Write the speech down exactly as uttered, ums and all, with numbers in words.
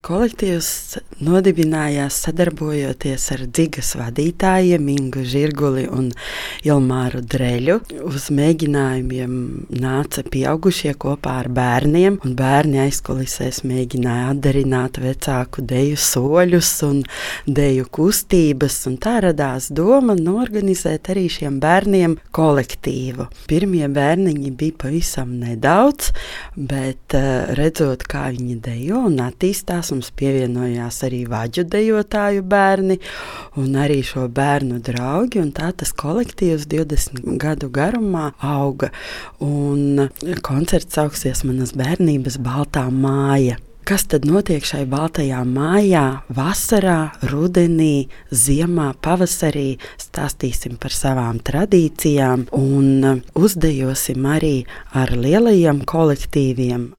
kolektīvs nodibinājās sadarbojoties ar Dzigas vadītājiem Ingu Žirguli un Ilmāru Dreļu. Uz mēģinājumiem nāca pieaugušie kopā ar bērniem, un bērni aizkulisēs mēģināja atdarināt vecāku deju soļus un deju kustības, un tā radās doma norganizēt arī šiem bērniem kolektīvu. Pirmie bērniņi bija pavisam nedaudz, bet redzot, kā viņi dejo un attīstās, mums pievienojās arī vaģu dejotāju bērni un arī šo bērnu draugi, un tā tas kolektīvs divdesmit gadu garumā auga. Un koncerts sauksies Manas bērnības baltā māja. Kas tad notiek šai baltajā mājā vasarā, rudenī, ziemā, pavasarī? Stāstīsim par savām tradīcijām un uzdejosim arī ar lielajiem kolektīviem.